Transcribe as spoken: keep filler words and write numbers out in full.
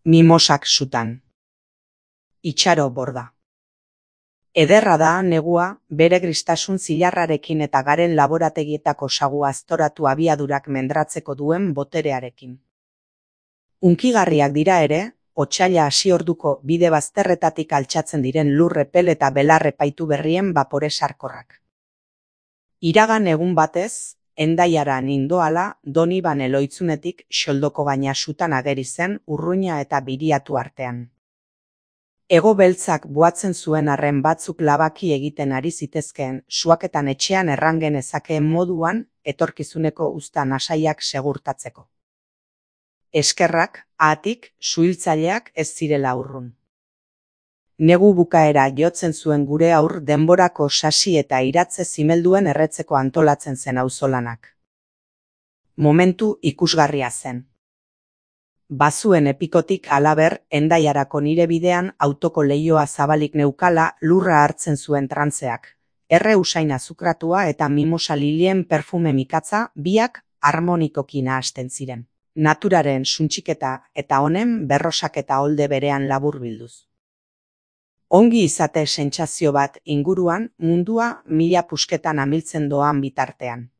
Mimosak sutan. Itxaro borda. Ederra da negua bere gristasun zilarrarekin eta garen laborategietako sagu aztoratu abiadurak mendratzeko duen boterearekin. Unkigarriak dira ere, otsaila hasi orduko bide bazterretatik altxatzen diren lur epel eta belar epaitu berrien bapore sarkorrak. Iragan egun batez, Hendaiara nindoala Doniban Eloitzunetik xoldoko gaina sutan ageri zen urruina eta biriatu artean. Ego beltzak buatzen zuen arren batzuk labaki egiten ari zitezkeen suaketan etxean erran genezakeen moduan etorkizuneko uzta nasaiak segurtatzeko. Eskerrak, haatik, suhiltzaileak ez zirela urrun. Negu bukaera jotzen zuen gure aur denborako sasi eta iratze zimelduen erretzeko antolatzen zen auzolanak. Momentu ikusgarria zen. Bazuen epikotik halaber, Hendaiarako nire bidean autoko leihoa zabalik neukala lurra hartzen zuen trantzeak. Erre usain azukratua eta mimosa lilien perfume mikatza biak harmonikoki nahasten ziren. Naturaren suntxiketa eta honen berrosak eta olde berean laburbilduz. Ongi izate sentsazio bat inguruan mundua mila pusketan amiltzen doan bitartean.